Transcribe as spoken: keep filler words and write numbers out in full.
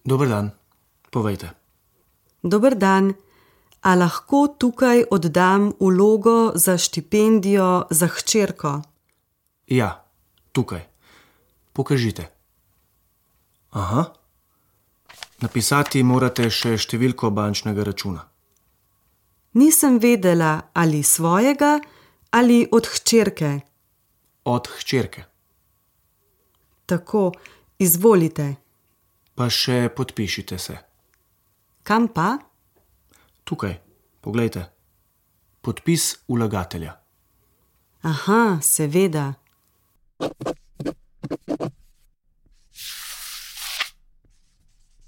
Dober dan, povejte. Dober dan. A lahko tukaj oddam vlogo za štipendijo za hčerko? Ja, tukaj. Pokažite. Aha. Napisati morate še številko bančnega računa. Nisem vedela, ali svojega ali od hčerke. Od hčerke. Tako, izvolite. Pa še podpišite se. Kam pa? Tukaj, poglejte. Podpis vlagatelja. Aha, seveda.